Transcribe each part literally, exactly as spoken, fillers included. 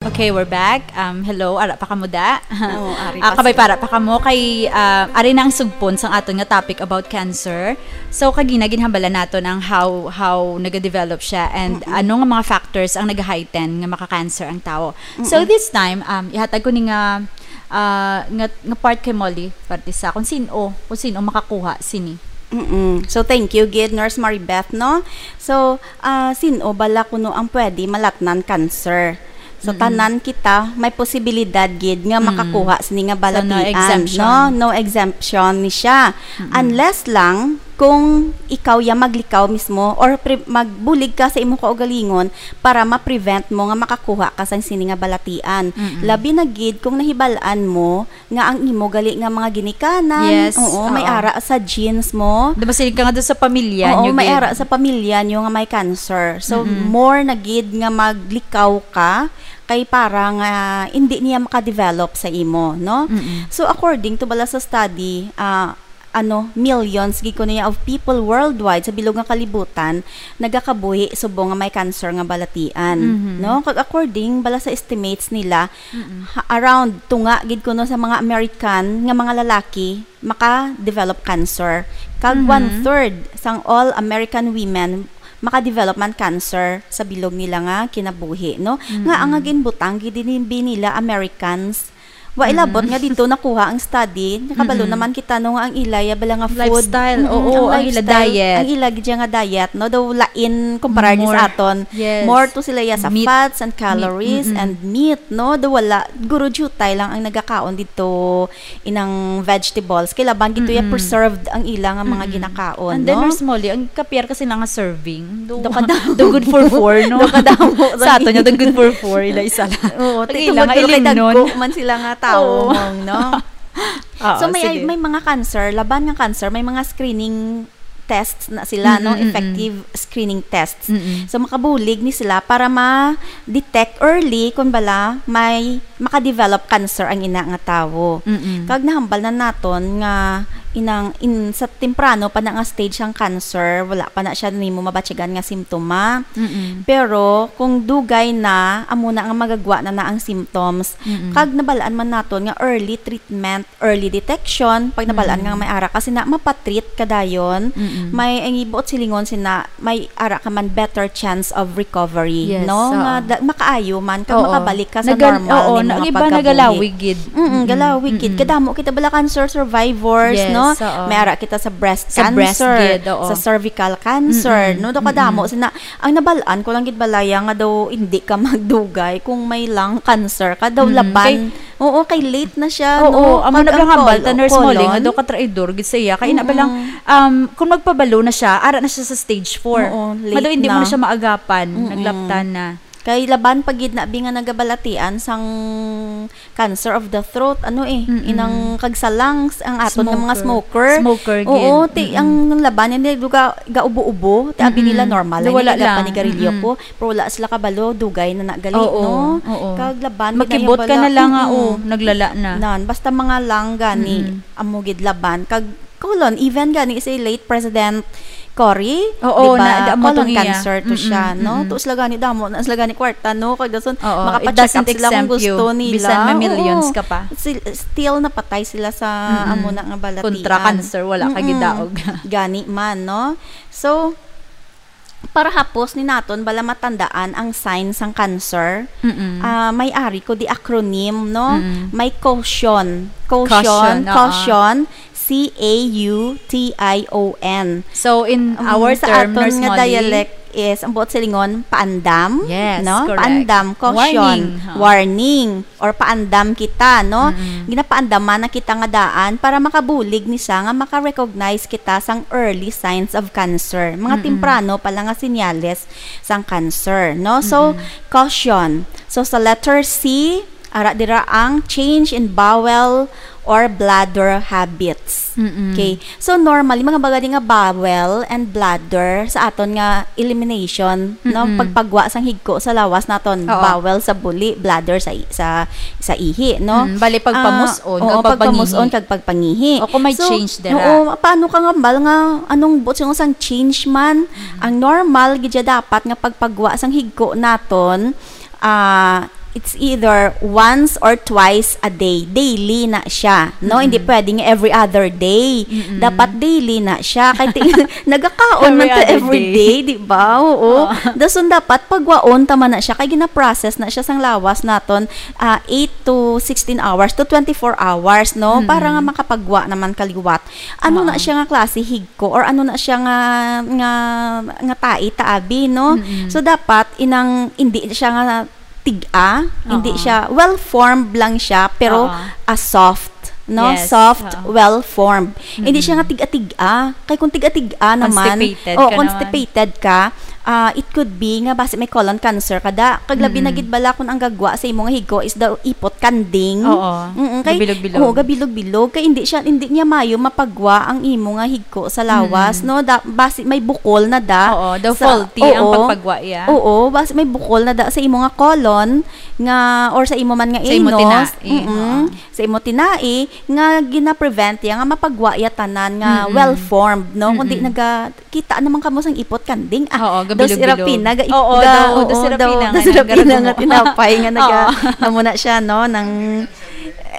Okay, we're back. Um, hello, ara pa kamo da? Oo, ari Ah, pa kabay sila. Para pa kamo kay, ah, ari na ang sugpon sang aton nga topic about cancer. So kagina ginhambalan naton ang how how nagadevelop siya and ano nga mga factors ang nag-heighten nga maka-cancer ang tawo. So this time, um, ihatag ko ni nga ah, nga, nga part kay Molly Partisa kung sino, kung sino makakuha sini. Mm-mm. So, thank you gid, Nurse Maribeth, no? So, ah, sino bala kuno ang pwede malatnan cancer? So, tanan kita may posibilidad gid nga makakuha sini nga balatian, So, no exemption. No? No exemption ni siya. Unless lang kung ikaw ya maglikaw mismo or pre- magbulig ka sa imong kaugalingon para ma-prevent mo nga makakuha ka sang sini nga balatian. Labi na gid kung nahibal-an mo nga ang imo gali nga mga ginikanan, Yes, oo, may oo. ara sa genes mo. Di ba, sige ka nga doon sa pamilya Oo, nyo, may gid? Ara sa pamilya nyo nga may cancer. So, more na gid nga maglikaw ka kay para nga hindi niya makadevelop sa imo, no? So, according to bala sa study, ah, ano, millions gid ko niya of people worldwide sa bilog nga kalibutan nagakabuhi subong nga may cancer nga balatian, no? Kag according bala sa estimates nila, ha- around tunga gid kuno sa mga American nga mga lalaki maka-develop cancer. Kag one third sang all American women maka-develop man cancer sa bilog nila nga kinabuhi, no? Nga ang ginbutang gid ni nila Americans. Wa ilabot nga dito nakuha ang study. Nakabalo naman kita, no, nga ang ila ya bala nga food. Lifestyle, Mm-mm, oo, ang ila lifestyle, diet. Ang ila gid nga diet, no, daw lain kumpara ni More, sa aton. yes. More to sila ya sa Meat. Fats and calories Mm-mm. and meat, no? Daw wala, guro jutay lang ang nagakaon dito inang vegetables. Kay laban gid to ya preserved ang ila nga mga ginakaon, And then, no? Nurse Molly, ang kapiar kasi na nga serving. Do, Do kadamo. Do good for four, no? Do kadamo. Sa ato niya, do good for four. Ila isa lang. Oo, Pag ti- ilang tungod guro kay ilingnon. dagko man sila nga tawo, Oo. mong, no? Oo, So, may, sige. May mga cancer, laban nga cancer, may mga screening tests na sila, no? Mm-mm, mm-mm. Effective screening tests. Mm-mm. So, makabulig ni sila para ma-detect early kung bala may maka-develop cancer ang ina nga tawo. Mm-mm. Kag nahambal na naton nga inang in, sa temprano pa na nga stage ang cancer, wala pa na siya nimo mabatyagan nga simptoma. Mm-mm. Pero kung dugay na, amo na nga magagwa na na ang symptoms. Mm-mm. Kag nabalaan man naton nga early treatment, early detection, pag nabalaan nga may ara ka sina, mapatreat ka dayon, Mm-mm. may ang ibuot silingon sina, may ara ka man better chance of recovery, Yes, no? Oo. Nga da- makaayo man kag Oo. Makabalik ka sa Nagal- normal oo, ning na- mga iba pagkabuhi. Nagalawig gid. Mm, galawig gid. Mm-mm. Kadamo kita bala cancer survivors, Yes, no? Oo. May ara kita sa breast Sa breast cancer, gid, oo. Sa cervical cancer, Mm-mm. No? Do kadamo sina, ang nabalaan ko lang gid balaya nga daw hindi ka magdugay kung may lung cancer ka, daw Mm-mm. laban. Kay- Oo, kay late na siya, Oo, no? amo Pag na ang hambal col- ta, Nurse Molly, nga colon, daw ka traidor gid sa iya. Kay na Mm-mm. balang, um, kung magpabalo na siya, ara na siya sa stage four. Oo, late Nga daw hindi mo na. Na siya maagapan, Mm-mm. Naglaptan na. Kay laban pa gid na bi nga nagabalatian sang cancer of the throat, ano eh, Mm-mm. Inang kag sa lungs, ang aton nga mga Smoker. Smoker. Smoker gid. Oo, ti Mm-mm. Ang laban niya, ga, gaubo-ubo, ti abi nila Mm-mm. Normal, Wala Wala lang. Lang. Panigarilyo Mm-mm. Ko, pero wala sila kabalo, dugay na nagali, Oo, no? Oo. Kag laban, Makibot ka na lang nga, oh, naglala na. Nan, basta mga lang gani, Mm-mm. Amo gid laban. Kag colon, even gani si late President Cory, Oo, di ba? Na, amo Colon tong iya. Cancer to Mm-mm, siya, no? Mm-mm. Tuos la gani damo, na sila gani kwarta, no? Kag dason, Oo, makapa-check up sila kung gusto nila. Bisan may millions Oo. Ka pa. Still napatay sila sa Mm-mm. Amo na nga balatian. Kontra cancer, wala ka Mm-mm. Gidaog. Gani man, no? So, para hapos ni naton bala matandaan ang sign sang cancer, Mm-mm. Ah, may ari ko di acronym, no? Mm-mm. May caution. Caution, Caution, oo. Caution, C A U T I O N. So, in Um, our sa term, aton Nurse nga Molly, dialect is, ang buot silingon, paandam, Yes, no? Correct. Paandam, caution, Warning, ha? Warning, or paandam kita, no? Mm-mm. Ginapaandaman na kita nga daan para makabulig ni siya nga maka-recognize kita sang early signs of cancer. Mga Mm-mm. Temprano pa lang nga senyales sang cancer, no? So, Mm-mm. Caution. So, sa letter C, ara dira ang change in bowel or bladder habits. Mm-mm. Okay. So, normally, mga bagay nga bowel and bladder sa aton nga elimination, no? Mm-mm. Pagpagwa sang higko sa lawas naton, Oo. Bowel sa buli, bladder sa i- sa sa ihi, no? Mm, bali, pagpamus-on, Ah, oo, kag pagpamus-on pagpangihi. Kag pagpangihi. O kung may So, change dira. Oo, paano ka nga bal nga anong buot sang change man? Mm. Ang normal gid siya dapat nga pagpagwa sang higko naton, ah, It's either once or twice a day. Daily na siya, no? Hindi Mm-mm. pwedeng every other day. Mm-mm. Dapat daily na siya. Kay ti-, nagakaon man Every ta other every day. day, di ba? Oo. Oo. Dason dapat pagwaon ta man na siya. Kay gina-process na siya sang lawas naton, ah, eight to sixteen hours to twenty-four hours, no? Mm-mm. Para nga makapagwa naman kaliwat. Ano na Oo. siya nga klase higko or ano na siya nga, nga, nga tai ta abi, no? Mm-mm. So, dapat inang, hindi siya nga tig-a, hindi Oo. siya, well-formed lang siya, pero, Oo. ah, soft, no? Yes, Soft, oo. well-formed. Hindi siya nga Mm-mm. tig-a-tig-a. Kay kung tig-a-tig-a naman, Constipated oh, ka naman. constipated ka, ah, it could be nga basi may colon cancer ka da. Kag labi na Mm-mm. gid bala kung ang gagwa sa imo nga higko is daw ipot kanding. Oo. Mm-mm, kay, Gabilog-bilog. oo, gabilog-bilog. Kay hindi siya, hindi niya mayo mapagwa ang imo nga higko sa lawas, Mm-mm. no? Da-, basi may bukol na da Oo, daw sa, faulty ang oo. pagpagwa iya. Oo, basi may bukol na da sa imo nga colon nga, or sa imo man nga Sa imo anus. tinai, Mm-mm. oo. Sa imo tinai nga gina-prevent iya nga mapagwa iya tanan nga Mm-mm. well-formed, no? Kundi Mm-mm. naga-, kita naman kamo sang ipot kanding. Ah, Oo, dos gabilog-bilog. Serafina, ga-, Oo, ga-, daw, oo, dos Serafina daw, nga dos Serafina nga nagdala mo. tinapay nga naga-, Oo. amo na siya, no, nang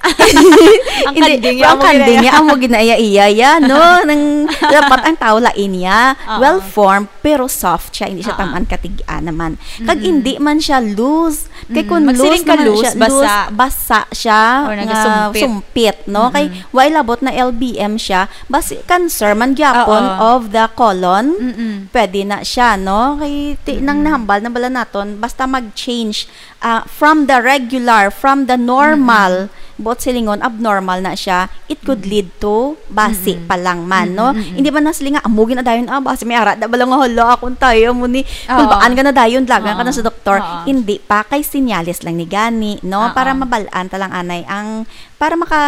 Ang Hindi, kanding pero niya, ang amo kanding ginaya. niya, amo ginaya-iya, ya, no? Nang, dapat ang tao lain niya, Oo. well-formed, pero soft siya, hindi siya Oo. taman katig-a naman. Kag Mm-mm. hindi man siya loose. Kay Mm, kung magsiling loose ka naman loose, siya, basa. loose, basa siya Or nga nagasumpit. sumpit, no? Kay Mm-mm. way labot na L B M siya, basi cancer man gyapon Oo. of the colon, Mm-mm. pwede na siya, no? Kay ti-, nang Mm-mm. nahambal na bala naton, basta mag-change, ah, from the regular, from the normal, Mm-mm. buot silingon, abnormal na siya, it could Mm-mm. lead to basi Mm-mm. pa lang man, no? Mm-mm, mm-mm. Hindi man na sila nga, "Amo, ginadayon, ah, basi may ara da bala nga hala, akong tayo mo ni, Oo. kulbaan ka na dayon, dalagan ka na Oo. sa doktor." Oo. Hindi pa, kay sinyales lang ni gani, no? Oo. Para mabal-an ta lang anay ang, para maka,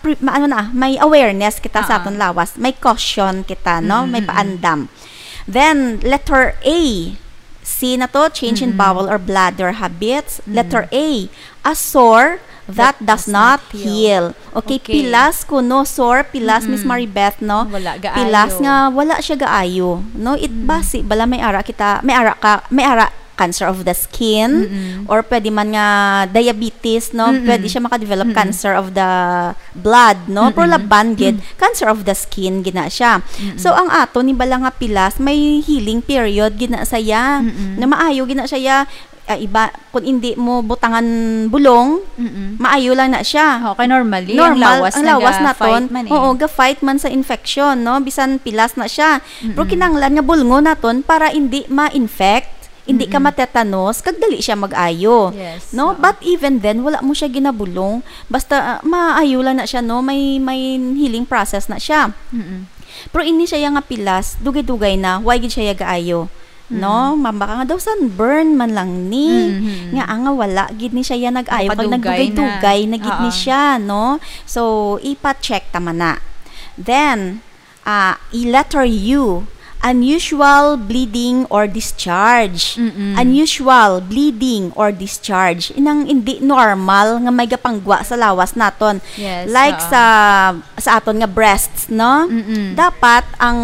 pre-, ma-, ano na, may awareness kita sa Oo. aton lawas, may caution kita, no? Mm-mm, May mm-mm. paandam. Then, letter A. C na to, change in Mm-mm. bowel or bladder habits. Mm. Letter A, a sore that That does does not not heal. heal. Okay, Okay. pilas kuno, sore, pilas, Miss Mm-mm. Maribeth, no? Wala gaayo. Pilas nga wala siya gaayo, no? It Mm. basi bala may ara kita, may ara ka, may ara cancer of the skin, Mm-mm. or pwede man nga diabetes, no? Mm-mm. Pwede siya makadevelop Mm-mm. cancer of the blood, no? Pero Mm-mm. laban gid, Mm. cancer of the skin gina siya. Mm-mm. So, ang ato ni bala nga pilas, may healing period gina sa iya. Mm-mm. Na maayo gina siya, ah, iba, kung hindi mo butangan bulong, Mm-mm. maayo lang na siya. Oh, kay normally, ang Normal, lawas ang lawas naga-fight naton, man eh. oo, ga-fight man sa infection, no? Bisan pilas na siya. Pero Mm-mm. kinahanglan nga bulngon naton para hindi ma-infect. Hindi ka Mm-mm. matetanos, kag dali siya mag-ayo. Yes, No? oo. But even then, wala mo siya ginabulong. Basta, ah, maayo lang na siya, no? May, may healing process na siya. Mm-mm. Pero ini siya nga pilas, dugay-dugay na, why gid siya gaayo? No? Mm. Mabaka nga daw sunburn man lang ni. Mm-hmm. Nga, ah, nga wala gid ni siya nag-ayo, kag Nakadugay na. nagdugay-dugay na gid ni Oo. siya, no? So, ipa-check ta man na. Then, Ah, i-, letter U, unusual bleeding or discharge. Mm-mm. Unusual bleeding or discharge. Inang hindi normal nga may gapanggwa sa lawas naton. Yes, Like oo. sa, sa aton nga breasts, no? Mm-mm. Dapat ang,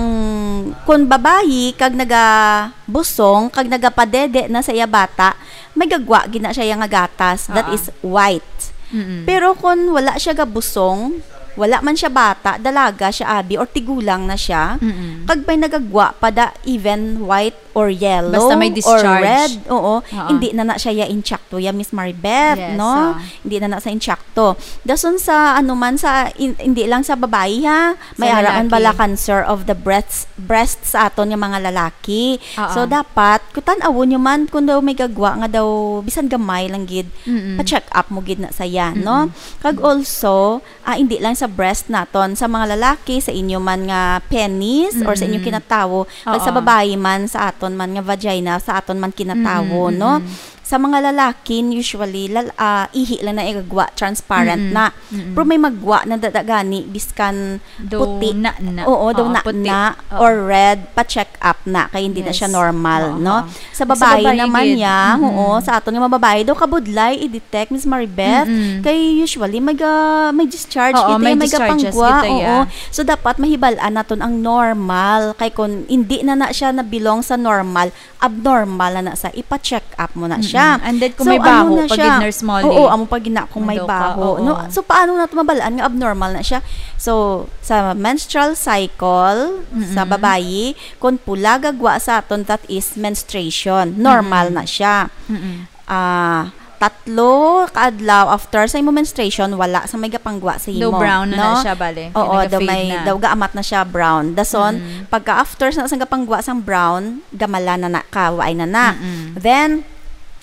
kung babayi kag nagabusong, kag nagapadede na sa iya bata, may gagwa gid na siya nga gatas that Oo. is white. Mm-mm. Pero kung wala siya gabusong, wala man siya bata, dalaga siya, abi, or tigulang na siya, Mm-mm. kag may nagagwa pa da, even white or yellow Basta may or discharge. red, oo, Oo. hindi na na siya ya intsakto ya, Miss Maribeth, Yes, no? ah. Hindi na na sa intsakto. Dason sa, ano man, sa, in-, hindi lang sa babayi, ha? May Sa ara man lalaki. bala cancer of the breasts, breast sa aton nga mga lalaki. Oo. So, dapat, kung tan-awon nyo man, kung daw may gagwa nga daw, bisan gamay lang gid, Mm-mm. pa-check up mo gid na saya, no? Mm-mm. Kag also, ah, hindi lang sa breast naton, sa mga lalaki, sa inyo man nga penis, or sa inyong Mm-mm. kinatawo, kag sa Oo. babayi man, sa aton man nga vagina, sa aton man kinatawo, Mm-mm, no? mm-mm. Sa mga lalaki, usually, lal-, ah, ihi lang na igagwa, transparent Mm-mm. na. Mm-mm. Pero may magwa na dada gani, biskan Daw puti. na-na. Oo, daw Oo, na-na puti. Oo. or red, pa-check up na, kay hindi na Yes. siya normal, Oo, no? oo. Sa Sa babae babae naman gid. niya, Mm-mm. oo, sa aton nga mga babae, daw kabudlay i-detect, Miss Maribeth, Mm-mm. kay usually may ga-, may discharge Oo, kita may ya, may discharges gapangwa, kita ya. oo. So, dapat mahibal-an naton ang normal, kay kung hindi na na siya na-belong sa normal, abnormal na na sa, ipa-check up mo na Mm-mm. siya. Mm-mm. And then kung So, may ano baho na pa siya? gid, Nurse Molly? Oo, amo pa gid na kung may May baho, baho, oo. no? So, paano nato mabalaan nga abnormal na siya? So, sa menstrual cycle, sa Mm-mm. babayi, kung pula gagwa sa aton, that is menstruation. Normal Mm-mm. na siya. Mm-mm. Ah, tatlo ka adlaw after sa imo menstruation, wala sa may gapanggwa sa Daw imo, brown na na no? siya, bale. Oo, Kaya daw may, nag-fade na. daw gaamat na siya brown. Dason, Mm. pagka after sa, sa gapanggwa sang brown, gamala na na ka, waay na na. Mm-mm. Then,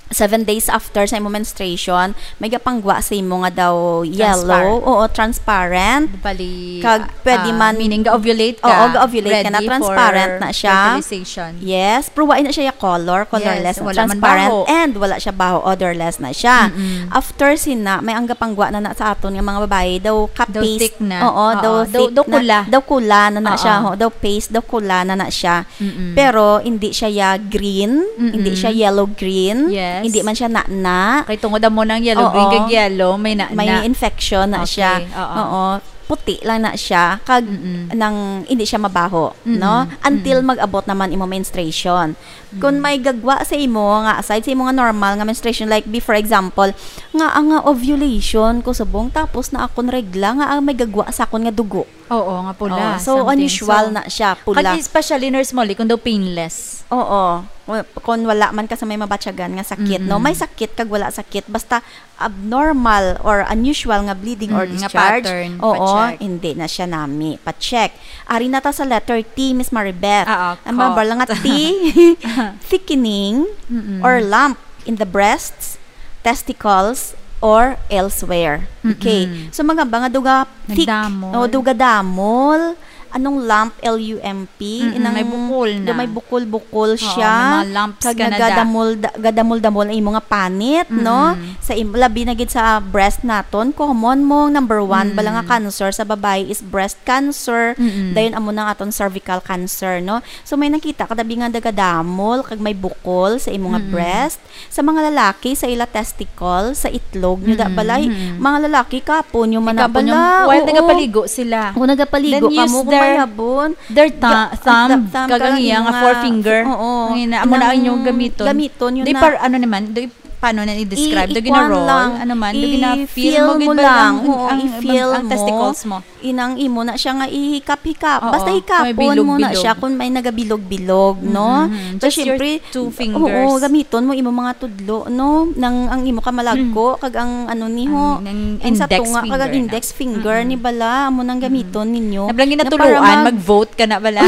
seven days after sa imo menstruation, may gapanggwa sa imo nga daw yellow, Transparent. oo, transparent. Bali, Kag pwede ah, man meaning ga-ovulate ka, Oo, ga-ovulate ka na, ready transparent for na siya. fertilization. Yes, pero wala na siya ya color, colorless, Yes, wala man transparent, baho. and wala siya baho, odorless na siya. Mm-mm. After sina, may ang gapanggwa na na sa aton nga mga babayi, daw Daw ka-paste. thick na. Oo, Oo, daw daw, thick daw na. kula. Daw kula na na Oo. siya, ho. Daw paste, daw kula na na siya. Mm-mm. Pero hindi siya ya green, Mm-mm. hindi siya yellow green, Yes. hindi man siya na-na. Kay tungod amo nang yellow, green Oo. kag yellow, may na-na. May infection na Okay, siya. oo. Oo. Puti lang na siya, kag Mm-mm. nang hindi siya mabaho, Mm-mm. no? Until Mm-mm. mag-abot naman imo menstruation. Kung Mm. may gagwa sa imo nga aside sa imo nga normal nga menstruation, like be for example, nga ang nga ovulation ko subong tapos na akon regla nga ang may gagwa sa akon nga dugo. Oo, nga pula, Oh, so something. unusual So, na siya, pula. kag especially, Nurse Molly, kung daw painless. Oo. Wa-, kung wala man ka sa may mabatyagan nga sakit, no? Mm-mm. May sakit kag wala sakit, basta abnormal or unusual nga bleeding or Mm, nga discharge, pattern, oo, pa-check. hindi na siya nami. Pa-check. Ari na ta sa letter T, Miss Maribeth. Ah, ah, Ang mga cough. barla nga T, thickening Mm-mm. or lump in the breasts, testicles, or elsewhere. Okay. Mm-mm. So, mga ba nga duga thick, Nagdamol. o duga damol, anong lump, L U M P, Mm-mm, inang may bukol na. do may bukol-bukol Oo, siya, may mga lumps kag ka na da. nagadamol, da-, gadamol-damol ang imo nga panit, no? Mm-mm. Sa im-, labi na gid sa breast naton, common mo, number one, bala nga Mm. cancer sa babayi is breast cancer, Mm-mm. dayon amo na ang aton cervical cancer, no? So, may nakita ka dabi nga nagadamol, kag may bukol sa imo nga Mm-mm. breast, Sa mga lalaki, sa ila testicle, sa itlog nyo, da Mm, balay, mm. mga lalaki, kapon nyo man na Ikapon nyo, bala. while Oo. nagapaligo sila. O, nagapaligo Then ka use mo, kung their, mayabon. their thu-, Ga-, thumb, thumb, thumb, kag ang kag iya nga imo nga forefinger. f-, oo. Ang ina-, amo na ang inyong Inang gamiton. gamiton nyo Di na. par-, ano naman, do, paano na i-describe? Do I-, gina-roll? ikuan lang. Ano man? Do gina-feel I-feel mo gid mo ba lang. ang, Oo, ang, i-feel ang mo. testicles mo? Inang imo na siya nga ihikap-hikap. Oo, Basta may hikapon mo na bilog-bilog. siya kung may nagabilog-bilog, no? Mm-hmm. So, Just your syempre, two fingers. oo, gamiton mo imo mga tudlo, no? Nang ang imo kamalagko, Mm. kag ang ano niho, Ang, ang ang sa index tunga, kag ang finger na. index finger Mm-mm. ni bala, amo nang Mm-mm. gamiton ninyo. Nablang Na ginatuluan, para mag- mag-vote ka na bala.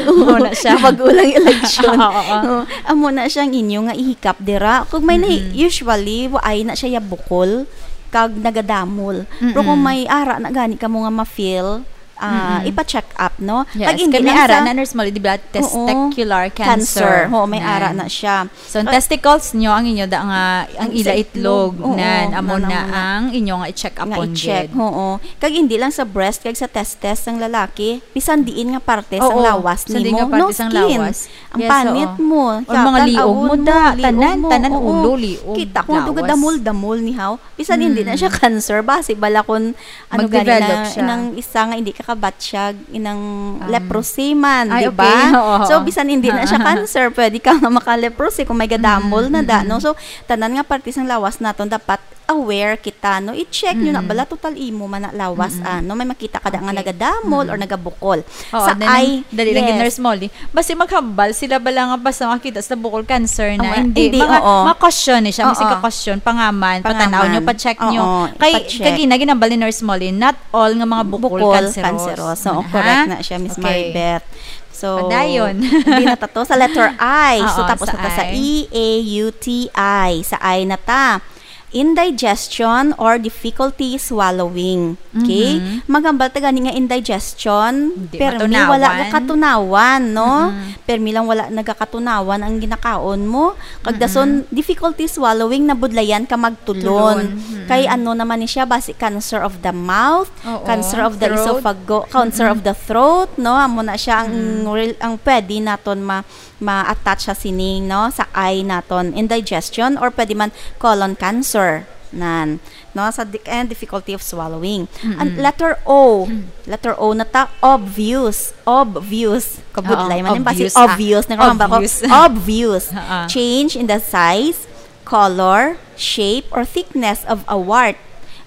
Amo na siya. Bago lang election. Oo, oo. Oo, amo na siya ang inyo nga ihikap dira. Kung may na, Mm-mm. usually, waay na siya ya bukol. kag nagadamol. Pero kung Mm-mm. may ara na gani kamo nga ma-feel, ah, Mm-mm. ipa-check up, no? Yes, Kag hindi kay may lang ara sa na, Nurse Molly, di ba? Oo. Testicular cancer. Cancer. Oo, may Nan. ara na siya. So, ang Kag testicles nyo, ang inyo da nga, ang Ang ila sa itlog, itlog. Oo, nan, amo nan na ang mga ang inyo nga i-check nga upon i-check. gid. Oo. Kag hindi lang sa breast, kag sa testes sang lalaki, bisan diin nga parte sang Oo, lawas bisan diin nimo, nga parte no sang skin. lawas. Ang Yes, panit oo. mo, Or mga katan, liog mo, awon mo, da, liog tanan, mo, tanan, oo. ulo, liog, Kita ko, duga lawas. damol-damol ni haw. Bisan hindi na siya Mm. cancer, basi bala kun ano gani Mag-develop na, siya. inang isa nga hindi ka kabatsyag, inang Um, leprosy man, ay, di ba? okay. Oo. So, bisan hindi na siya cancer, pwede ka nga maka-leprosy kung may gadamol Mm, na da, mm, no? mm. So, tanan nga parte sang lawas naton dapat aware kita, no? I-check nyo na Mm. bala, total imo man na lawas, Mm, mm. ah, no? May makita ka da nga Okay. nagadamol Mm. or nagabukol. Oo, Sa then, eye, dali lang gid, yes. Nurse Molly. Basi maghambal sila bala nga basta makita sa bukol cancer na. Oo, Hindi, hindi, mga, oo. mga caution ni siya. Masig Pangaman. ka caution, pangaman, patanaw nyo, Pangaman. pa-check nyo. Oo, Kay, ipa-check. kag gina-, ginambal ni Nurse Molly, not all nga mga bukol Bukol cancerous. cancerous. Oo, Ha? correct na siya, Miss Okay. Maribeth. So, Padayon. di na ta to. Sa letter I. So, Oo, tapos sa na ta sa I. E A U T I. Sa I na ta. Indigestion or difficulty swallowing. Okay? Mhm. Maghambal ta gani nga indigestion, Hindi permi matunawan. wala gakatunawan, no? Mhm. Permi lang wala nagakatunawan ang ginakaon mo. Kag Mhm. dason, difficulty swallowing, nabudlayan ka magtulon. Tulon. Mhm. Kay ano naman ni siya, basi cancer of the mouth, Oo. cancer of the Throat. esophago-, cancer Mhm. of the throat, no? Amo na siya ang Mhm. rel-, ang pwede naton ma-, ma-attach sa sining, no, sa I naton, indigestion or pwede man colon cancer, nan, no, sa di-, and difficulty of swallowing. Ang Mm-mm. letter O, Mm. letter O na ta, obvious, obvious. Kabudlay Oo, man yung basi, obvious, ah. obvious na karon ba ko? Obvious. Obvious. Oo. Change in the size, color, shape, or thickness of a wart,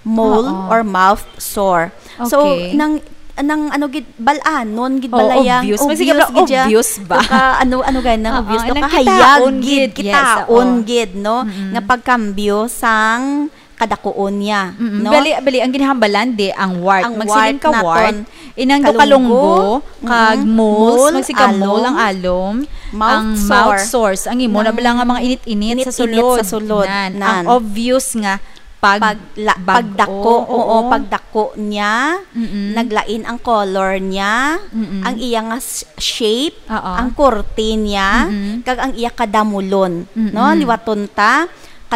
mole, Oo. or mouth sore. So, Okay. nang, nang ano gid, balanon gid, Oo, balayang, obvious. Mas sige, obvious gid siya. Obvious ba? Daw ka, ano, ano gani, Oo, obvious, daw nang ka hayag kitaon gid, gid, yes, kitaon oo. gid, no? Mm-mm. Nga pagkambyo sang kadakuon niya, Mm-mm. no? Bali, bali, ang ginahambalan di, ang wart. Ang Magsiling wart ka naton, wart, inang do kalunggo, kalunggo, kag mm-mm, moles, mole, magsiling ka mole alom, ang alom, mouth ang mouth sore, sores, ang imo na nang bala nga mga init-init sa init-init sulod. sa sulod. Nan, ang Nan. obvious nga pag-, Pagla-, bag-o, pagdako, oo, oo. pagdako niya, Mm-mm. naglain ang color niya, Mm-mm. ang iya nga s-, shape, Oo. ang korte niya, Mm-mm. kag ang iya kadamulon, no? Mm-mm. Liwaton ta,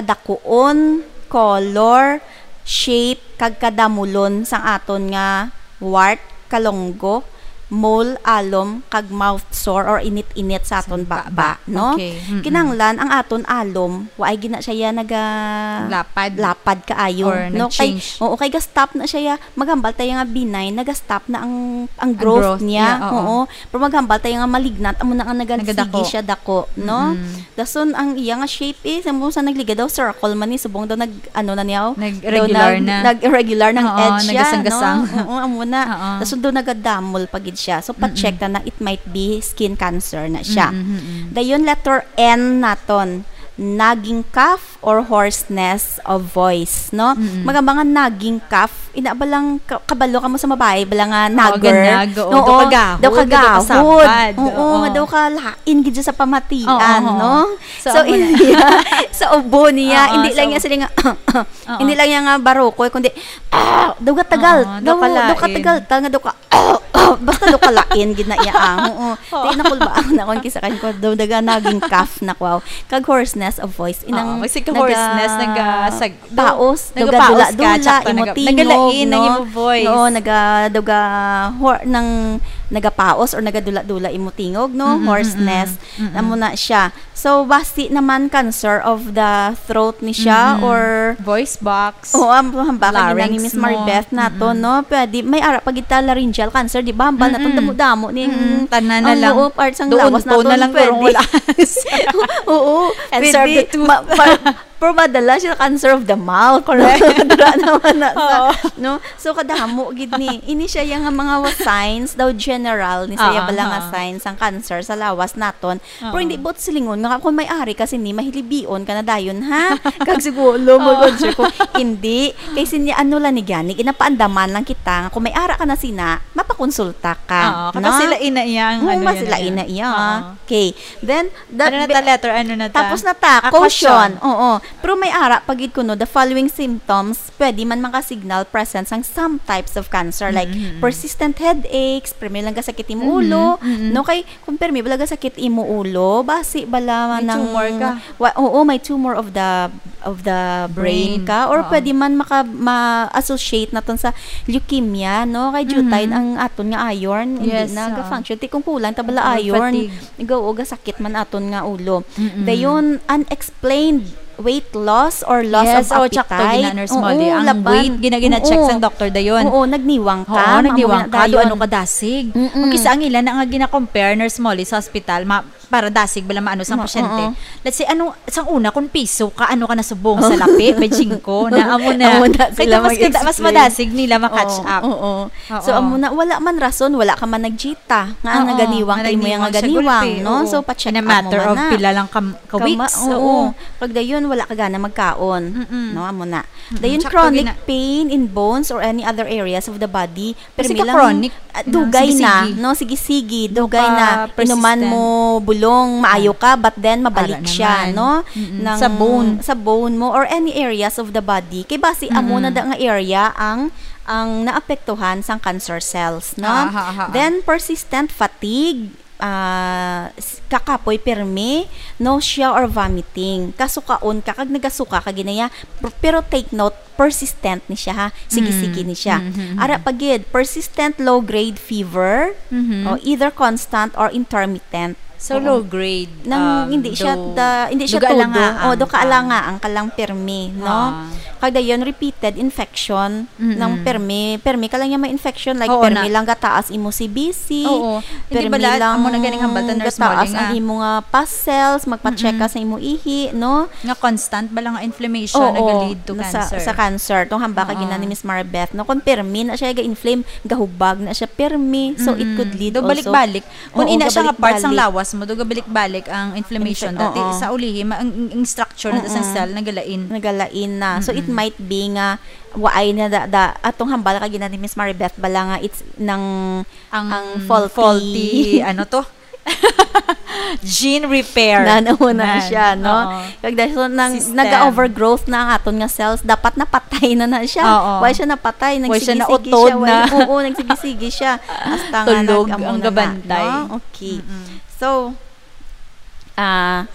kadakuon, color, shape, kag kadamulon sang aton nga wart, kalunggo, mole, alom, kag mouth sore or init-init sa aton Sa baba, baba. no? Okay. Mm-mm. Kinahanglan ang aton alom, waay gina siya ya naga Lapad. lapad kaayo, Or no? Kay, nag-change. oo, kay ga-stop na siya ya. Maghambal tayo nga benign, naga-stop na ang, ang Ang growth growth niya. niya, oo. Oo. Pero maghambal tayo nga malignant, amo na nga naga-, Nagadako. sige siya dako, no? Mm-mm. Dason ang iya nga shape, eh, sa mo sa nagligad daw, circle man ni, subong daw nag, ano na niya, oh. Nag-regular Daw nag-, na. nag-regular ng Oo, edge siya, nagasang-gasang. no? Oo, amo na. Oo. Dason daw nagadamol pa gid siya. So, pa-check Mm-mm. na na, it might be skin cancer na siya. Mm-mm, mm-mm. Dayon, letter N naton. Nagging cough or hoarseness of voice, no? Mm-mm. Mga, mga nagging cough, ina ba lang ka-, kabalo ka mo sa babae, bala nga Oo, nagger? ganag, oo. Oo, Daw kagahod, daw daw kagahod. kasabad. Oo, Oo. nga daw kalain gid siya sa pamatian, Oo, oo. no? So, So, amo na. hindi niya, sa ubo niya, Oo, hindi sa lang niya ubo. sila nga, Oo. hindi lang niya nga barokoy, kundi, ah, daw katagal, Oo, daw daw, kalain. daw katagal, ta nga daw ka, basta daw kalain, gid na iya, ah. Oo. Oo. Di nakulbaan na akong kisa kan ko, daw daga naging cough na ko. Kag hoarseness of voice, inang Oo, may sige naga-, hoarseness, naga-, sag-, paos, nagapaos ka, nagdula-dula, tsaka imo naga-, tingog, nagalain ang no? imo voice. Oo, naga-, daga hor-, nang nagapaos or nagadula-dula imo tingog, no? Mm-mm, Hoarseness. mm-mm, mm-mm. Amo na siya. So, basi naman cancer of the throat ni siya Mm-mm. or Voice box. Oo, ang hambakan ni Larynx Miss mo. Maribeth nato, Mm-mm. no? Pwede, may ara pa gid ta laryngeal cancer, di ba? Hambal naton Mm-mm. damo-damo ning Mm-mm. Tanan na ang lang. Oo, parts ang Doon lawas po naton, na lang pwede. Kurong wala. Oo, And pwede. serve the tooth. Ma-, ma-, Pero madala siya cancer of the mouth. Correct. Dira naman na sa, Oo. no? So, kadamo gid ni. Ini siya yang mga wa-, signs daw general ni saya Ah, bala nga ah. signs ang cancer sa lawas naton. Pero Oo. hindi buot silingon nga kung may ari ka sini, mahilibion ka na dayon, ha? Kag siguro, Oo. mag-answer ko, hindi. Kay sini, ano lang ni gani, ginapaandaman lang kita nga kung may ara ka na sina, mapakonsulta ka, Oo, no? kasi sila ina iya ang Oo, ano mas yan sila na yan. ina iya. Oo. Okay. Then, the Ano na be-, ta, letter? Ano na ta? tapos na ta. Ah, Caution. caution. Oo. Pero may ara pa gid kuno, the following symptoms pwede man maka-signal presence sang some types of cancer, like Mm-hmm. persistent headaches, permi lang gasakit imo Mm-hmm. ulo, Mm-hmm. no? Kay kung permi bala gasakit imo ulo, basi bala May nang tumor ka. wa-, oo, may tumor of the, of the brain Brain. ka, or Oo. pwede man maka-, ma-associate naton sa leukemia, no? Kay jutay Mm-hmm. ang aton nga iron, hindi Yes, na oo. ga-function. Ti kung kulang ta bala Oo, iron, fatigue. Go, o gasakit man aton nga ulo. Mm-mm. Dayon, unexplained weight loss or loss Yes, of oh, tsakto, appetite. gina, Nurse Oo, Molly. Ang laban. weight, gina, gina-check Oo. sang doktor dayon. Oo, nagniwang ka, Oo, nagniwang mamo na ka, do dayon. ano ka dasig. Mm-mm. Kung kisa ang ila na nga gina-compare, Nurse Molly, sa hospital, ma-, para dasig bala maano sang Ma-, pasyente. oo. Let's say, ano, sang una, kung piso ka, ano ka na subong sa lapi, may jingko, na amo na. Amo na Kaya sila mas kada-, mas mag-explain. madasig nila ma-catch Oo, up. oo. Oo. So, amo na, wala man rason, wala ka man nag-cheat. ta, nga Oo, naganiwang nga kay mo naganiwang nga siya ganiwang, gulpi, no? oo. So, pa-check In a up mo matter man of na. pila lang ka, ka Kama-, weeks, oo. oo. Pag dayon, wala ka gana magkaon, Mm-mm. no? Amo na. Mm-mm. Dayon, Tsaka chronic pag ina- pain in bones or any other areas of the body, Kasi permi ka lang, chronic, ah, ina-, dugay na, sige-sige. no? Sige-sige, Dugay dugay na. ka Inuman persistent. mo bulong, maayo Ah. ka, but then mabalik Ara siya, naman. no? Mm-mm. Nang Sa bone. sa bone mo or any areas of the body. Kay basi, amo na Mm-mm. da nga area ang, ang naapektuhan sang cancer cells, no? Aha, aha, aha. Then, persistent fatigue, ah, s-, kakapoy pirmi, nausea or vomiting. Kasukaon ka, kag nagasuka ka ginaya. P-, pero take note, persistent ni siya, ha? Sige-sige Mm. ni siya. Mm-hmm. Ara pa gid, persistent low-grade fever, Mhm. o either constant or intermittent. So, Oo. low grade, Nang um, hindi siya do, da, hindi siya do todo. Kaalangaang Oh, do ka. kaalangaang ka lang permi, no? Ah. Kag dayon repeated infection Mm-mm. ng permi, permi ka lang niya ma-infection, like, Oo permi na. lang gataas imo C B C, Oo. Hindi permi bala, lang amo na ganing hambal ta, Nurse gataas Molly, ang nga imo nga pus cells, magpa-check ka Mm-mm. sa imo ihi, no? Nga constant bala nga inflammation Oo, nag-lead to na sa, cancer. sa cancer. Tong hambal ka Oo. gina ni Miss Maribeth, no? Kung permi na siya ga-inflame, gahubag na siya permi. So, it Mm-mm. could lead Do also balik-balik. Kung Oo, ina siya nga part sang gabalik-balik. lawas mo, do gabalik-balik ang inflammation. Infec-, Dati oo. sa ulihi, ma-, ang, ang, ang structure na sa Mm-mm. cell, nagalain. Nagalain na. So, it Mm-mm. might be nga waay na da, da, atong hambal ka gina ni Miss Maribeth, bala nga it's nang, Ang ang faulty. faulty, ano to? Gene repair. Na, na, na Na, siya, no? oo. Kag dahil so, nang, System. naga-overgrowth na ang aton nga cells, dapat napatay na na siya. Oo. Why siya napatay? Why siya Nagsigi-sige nautod siya. Why, na? oo, nagsigi-sige siya. Hasta nga Tulog nag-, amo ang na na, gabantay. no? Okay. Mm-mm. So, ah,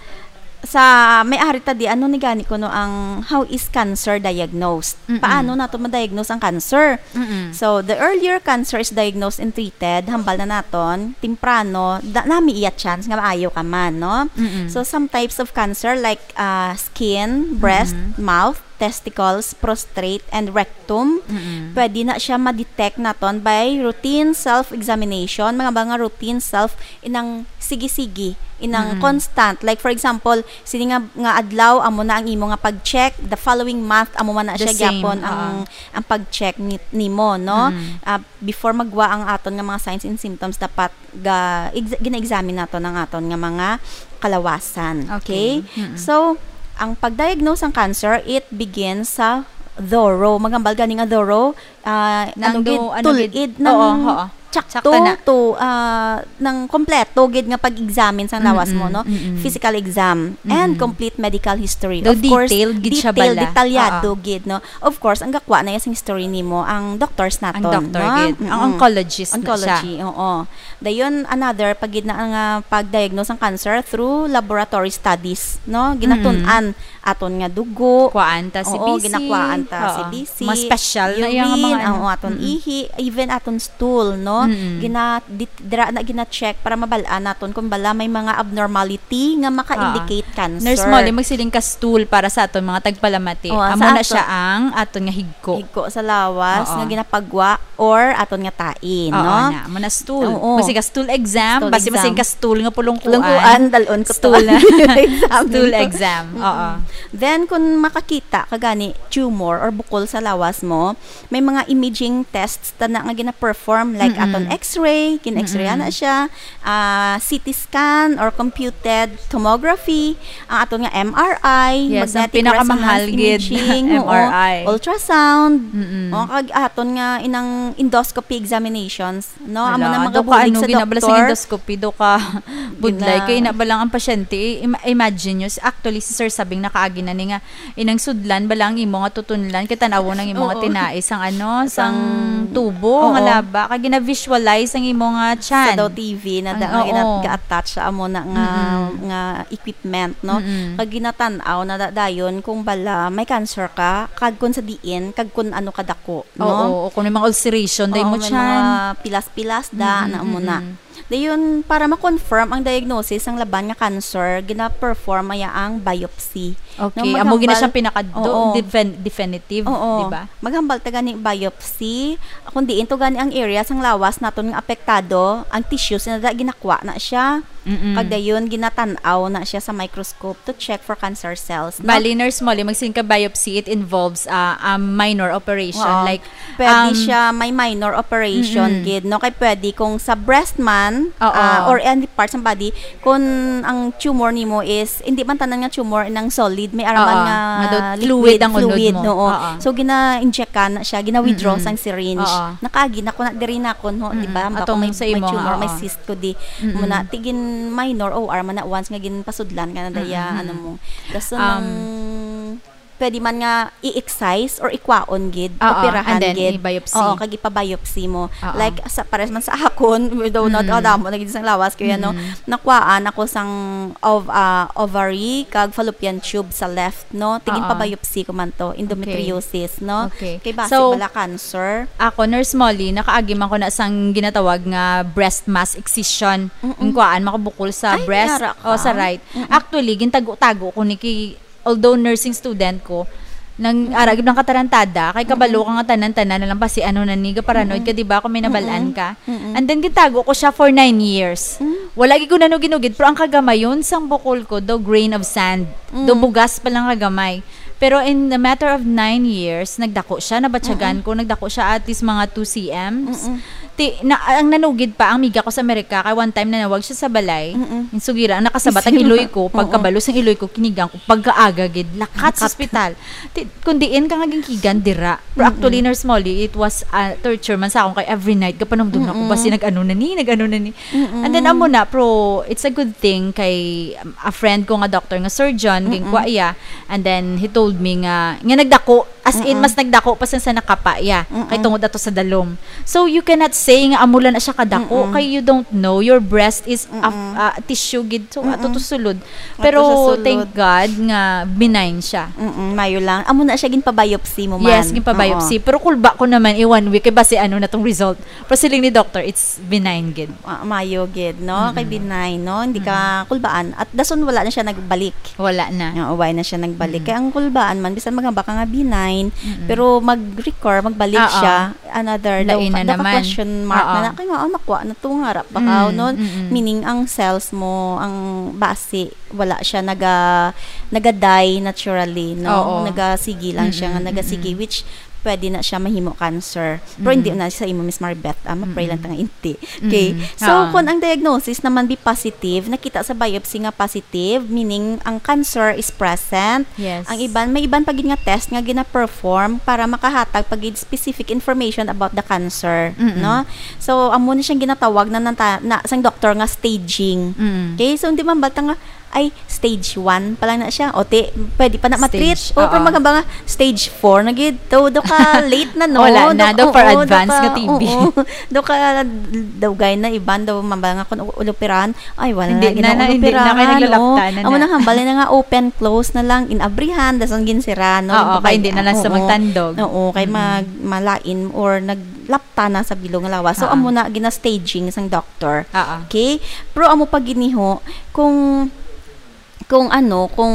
sa may ari ta di, ano ni gani kuno ang, how is cancer diagnosed? Mm-mm. Paano nato ma-diagnose ang cancer? Mm-mm. So, the earlier cancer is diagnosed and treated, hambal na naton, temprano, da, nami iya chance nga maayo ka man, no? Mm-mm. So, some types of cancer like, ah, skin, breast, Mm-mm. mouth, testicles, prostate, and rectum. Mm-mm. Pwede na siya ma-detect naton by routine self-examination, mga, mga routine self, inang sige-sige, inang Mm-mm. constant. Like, for example, sini nga, nga adlaw, amo na ang imo nga pag-check, the following month, amo man na The siya same, gyapon ang, oo. ang pag-check ni, nimo, no? Mm-mm. Ah, before magwa ang aton nga mga signs and symptoms, dapat ga-, ex-, gina-examine naton ang aton nga mga kalawasan. Okay? Okay. Mm-mm. So, ang pag-diagnose sang cancer, it begins sa thorough. Maghambal gani nga thorough, ah, Nang ano gid, do-, ano gid? tul-id Oo, nang oo. tsakto Tsakta na. to, ah, nang kompleto gid nga pag-examine sang lawas mo, Mm-mm, no? mm-mm. Physical exam and Mm-mm. complete medical history. Do Of course, detailed gid siya detailed, bala. detalyado Oo. gid, no? Of course, ang gakwa na iya sang history nimo, ang doctors Ang naton, doctor no? gid. Ang Mm-mm. oncologist na siya. Oncology, oo. Dayon, another, pag gid na nga pag-diagnose ang cancer through laboratory studies, no? Ginatun-an Mm-mm. aton nga dugo. Kuhaan ta si Oo, B C. ginakuhaan ta Oo. si B C. Mas special na iya nga Urine, mga ano. ang aton Mm-mm. ihi, even aton stool, no? Mm-mm. Gina-, dit-, dira na gina-check para mabal-an naton kung bala may mga abnormality nga maka-indicate Ah. cancer. Nurse Molly, magsiling ka stool para sa aton mga tagpalamati. Oh, Amo sa na aton. siya ang aton nga higko. Higko sa lawas Oo. nga ginapagwa or aton nga tae, Oo, no? na. Amo na stool. Oo. Magsiling ka stool exam, Stool basi exam. magsiling ka stool nga pulungkuan. Pulungkuan, dalon ko to. Stool na. Exam Stool nito. exam. Mm-mm. Oo. Then, kung makakita ka gani tumor or bukol sa lawas mo, may mga imaging tests ta na nga gina-perform, like Mm-mm. aton X-ray, gin-X-ray Mm-mm. na siya, ah, C T scan or computed tomography, ang aton nga M R I, Yes, ang magnetic pinakamahal resonance gid, imaging, oo, M R I. ultrasound, Mm-mm. o, kag aton nga inang endoscopy examinations, no? Amo Hala, na do ka magabulig ano, sa gina-, bala sa doktor. endoscopy, do ka budlay. Gina- Kay na ba lang ang pasyente, i-, ima-, imagine nyo, si, actually, si Sir Sabing nakaagi na ni nga, inang sudlan bala ang imo nga tutunlan, kay tan-awon ang imo nga Oo. tinai sang ano, sang Sang, tubo nga oo. laba, kag gina-visualize ang imo nga Sa tiyan. daw T V na Ang, da-, nga gina-, oo. ga-attach sa amo na nga, Mm-mm. nga equipment, no? Mm-mm. Kag ginatan-aw na da-, dayon kung bala may cancer ka, kag kung sa diin, kag kung ano kadako, no? Oo, o kung may mga ulceration, day Oo, mo may tiyan. mga pilas-pilas da, Mm-mm, na amo na. mm-mm. Dayon, para ma-confirm ang diagnosis sang laban nga cancer, gina-perform aya ang biopsy. Okay, No, amo gina maghambal, siyang pinaka do-, oo. defen-, definitive, Oo. di ba? Maghambal ta gani biopsy, kung diin to gani ang area sang lawas naton nga apektado, ang tissues na da, ginakwa na siya. Mm-mm. Kag dayon, ginatan-aw na siya sa microscope to check for cancer cells, no? Bali, Nurse Molly, magsiling ka biopsy, it involves, ah, a minor operation, Oo. like, Pwede um, siya may minor operation Mm-mm. gid, no? Kay pwede kung sa breast man, Oo. ah, or any parts ng body, kung ang tumor nimo is, hindi man tanan nga tumor nang solid, may araman Oo, nga nga daw liquid, fluid ang unod fluid, mo. no? Oo. Oo. So, gina-inject ka na siya, gina-withdraw Mm-mm. sang syringe. Oo. Nakaagi na ko na, diri na ko, no? Di Mm-mm. ba? Baka Atong may, sa may imo nga, tumor, may oo. cyst ko di. Mm-mm. Muna, tigin minor O R man na once nga ginpasudlan ka na daya, Mm-mm. ano mo. Dason Um, ng pwede man nga i-excise or ikwaon gid, Oo, operahan and then gid. i-biopsy. Oo, kag ipabiopsy mo. Oo. Like, sa, pares man sa akon, though not Mm. adamo na gid sang lawas ko yan, no? Mm. Nakuhaan ako sang ov-, ah, ovary kag fallopian tube sa left, no? Tigin Oo. Pabiopsy ko man to, endometriosis, no? Okay. Kay basi So, bala cancer. Ako, Nurse Molly, nakaagi man ko na sang ginatawag nga breast mass excision. Mm-mm. Ang kuan, makabukol sa Ay, breast yara ka. o sa right. Mm-mm. Actually, gintago-tago ko ni kay, although nursing student ko, nang ara gid lang katarantada, kay kabalo ka nga tanan-tanan na lang basi ano na ni, gaparanoid ka, di ba, kung may nabalaan Mm-mm. ka. Mm-mm. And then, gintago ko siya for nine years. Mm. Wala gid ko nanugid-nugid, pero ang kagamayon sang bukol ko, do grain of sand. Do Mm. bugas pa lang kagamay. Pero in a matter of nine years, nagdako siya, nabatyagan ko, nagdako siya at least mga two C Ms. Mm-mm. Ti, na, ang nanugid pa, ang miga ko sa Amerika, kay one time nanawag siya sa balay, Mm-mm. yung sugira, ang nakasabat ang Sige. iloy ko, Oo. pagkabalo sang iloy ko, kinigang ko, pagkaaga gid, lakat sa Lakat. ospital. Ti, kung diin ka nga ginkigan, dira. Pero Mm-mm. Actually, Nurse Molly, it was a torture man sa akon kay every night, gapanumdum na ko, Mm-mm. basi nag-ano na ni, nag-ano na ni. Mm-mm. And then, amo na, pero it's a good thing kay, um, a friend ko nga doctor nga surgeon, Mm-mm. ginkwa iya, and then he told me nga, nga nagdako, as in, Mm-mm. mas nagdako pa sa, sa nakapa iya, Mm-mm. kay tungod ato sa dalom. So, you cannot say nga amo lang na siya kadako, Mm-mm. kay you don't know, your breast is a, Mm-mm. a tissue gid, so, ato Mm-mm. to sulod. Ato Pero, sa sulod. Thank God nga benign siya. Mm-mm, mayo lang. Amo na siya ginpabiopsy mo man. Yes, ginpabiopsy. Oo. Pero kulba ko naman, i one week, kay basi ano na tong result. Pero siling ni doctor, it's benign gid. Ah, mayo gid, no? Kay Mm-mm. benign, no? Hindi ka kulbaan. At dason wala na siya nagbalik. Wala na. Oo, wala na siya nagbalik. Mm-mm. Kaya ang kulbaan man, bisan magamba ka nga benign, Mm-mm. pero mag-recur, magbalik Oo. Lain na daw ka naman. Question mark Oo. na na. Kaya nga, oh, nakuha na to nga, rap pa ka, Mm, no? mm-mm. Meaning, ang cells mo, ang basi, wala siya naga, naga-die naturally, no? Oo. Nagasigi lang siya nga, Mm-mm, nagasigi, mm-mm. Which pwede na siya mahimo cancer. Pero hindi Mm-mm. na siya sa imo, Miss Maribeth. Ah, ma-pray lang Mm-mm. ta nga hindi. Mm-mm. Okay. So, Ah. kung ang diagnosis naman be positive, nakita sa biopsy nga positive, meaning ang cancer is present. Yes. Ang iban, may iban pa gid nga test nga gina-perform para makahatag pa gid specific information about the cancer, Mm-mm. no? So, amo ni siyang ginatawag na, nata-, na sang doktor nga staging. Mm. Okay? So, hindi man bata nga, ay, stage one pa lang na siya. O, ti, pwede pa na matreat. Stage, O, pero oo. Magamba nga, stage four na gid. Daw, daw ka late na, no? Wala na, daw for Oo, advance ka, nga T B. Oo, daw ka, daw gay na iban, daw mamba nga kung ulupirahan. Ay, wala Hindi na, na, na, hindi na, kay ulupirahan, naglalapta oo. na Amo na. Nang hambal na nga open, close na lang, inabrihan, dason ginsirahan, no? Oo, Baka-, kay hindi na lang sa oo. magtandog. Oo, kay Mm. mag-, malain or naglapta na sa bilog nga lawas. So, Oo. Amo na gina-staging sang doctor. Oo. Okay? Pero amo pa giniho, kung, kung ano, kung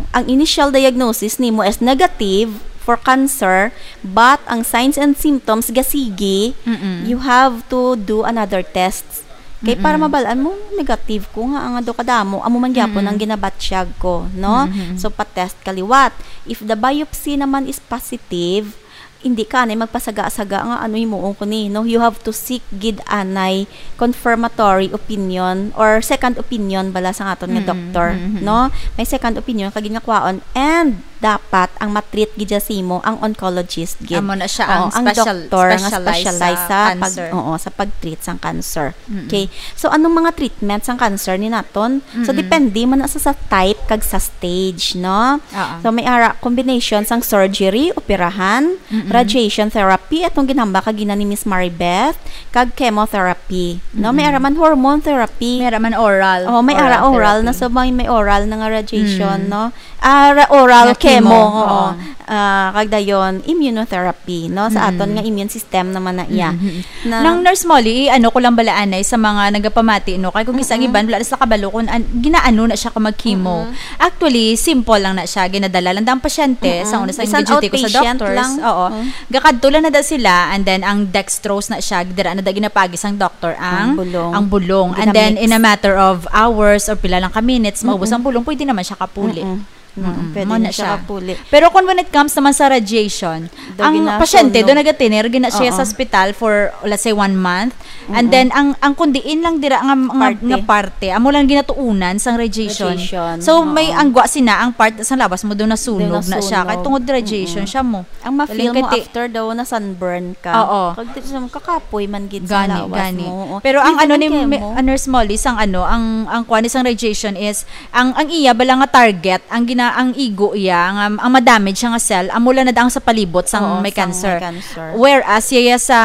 ang initial diagnosis nimo is negative for cancer, but ang signs and symptoms gasigi, Mm-mm. you have to do another test. Kay para Mm-mm. mabal-an mo, negative ko nga, ang ado kadamo, amo man gyapon Mm-mm. ang ginabatyag ko, no? Mm-hmm. So, pa-test ka liwat. If the biopsy naman is positive, hindi ka na magpasaga-saga nga ano himuon ko ni, no? You have to seek gid anay confirmatory opinion or second opinion bala sa aton nga Mm-mm. doktor, Mm-hmm. no? May second opinion ka gid nga kwaon, and dapat ang matreat gid siya sa imo ang oncologist gid. Amo na siya Oo, ang ang special-, doktor nga specialize specialize sa sa pag-, cancer. oo, sa pag-treat sang cancer. Mm-mm. Okay. So, anong mga treatment sang cancer ni naton? So, Mm-mm. depende man na sa, sa type kag sa stage, no? Oo. So, may ara combination sang surgery, operahan, Mm-mm. radiation therapy, atong ginhambal kagina ni Miss Maribeth, kag chemotherapy, no? May Mm-mm. ara man hormone therapy. May ara man oral. Oh, may ara oral na, Therapy. So may, may oral na nga radiation, Mm. no? Ah, ra-, oral Nga chemo, chemo, oo. oo. Ah, kag dayon immunotherapy, no? Sa aton Mm. nga immune system naman na iya. Mm-hmm. Na Nang Nurse Molly, ano ko lang bala anay sa mga nagapaamati, no? Kay kung isa ang Mm-mm. iban, wala na sila kabalo kung an-, ginaano na siya ka mag-chemo. Mm-mm. Actually, simple lang na siya. Ginadala lang da ang pasyente, Mm-mm. sa una sa Bisan duty ko sa outpatient doctors. lang. Oo. Mm. Gakadto lang na da sila, and then ang dextrose na siya, dira na da ginapagi sang doctor ang, Ang bulong. ang bulong. Ginamix. And then, in a matter of hours or pila lang ka minutes, maubos Mm-mm. ang bulong, pwede naman siya kapuli. Mm-mm. Mm, Mm-mm. pwede Mao na na siya siya. Kapuli. Pero kung when it comes naman sa radiation, Daw ang ginasunog. Pasyente, do nagatiner, gina siya Oo. sa ospital for, let's say, one month. And Mm-mm. then, ang, ang kundiin lang dira nga, nga, Parte. nga parte, amo lang ginatuunan sang radiation. Radiation, So, may oo. Ang gwa sina, ang part sa lawas mo, do nasunog Do na siya. nasunog. Kay tungod radiation Mm-mm. siya mo. Ang ma-feel Galing mo kay ti- after daw na sunburn ka. Oo. Kag di siya kakapoy man gid sa Gani, lawas gani. mo. Oo. Pero ang Even ano ang ni chemo. Mi-, ah, Nurse Molly, sang ano, ang, ang kuan ni sang radiation is, ang, ang iya bala nga target, ang na ang igo iya, nga, ang madamage siya nga cell, amo lang na ang sa palibot sang Oo, may sang cancer. may cancer. Whereas, iya sa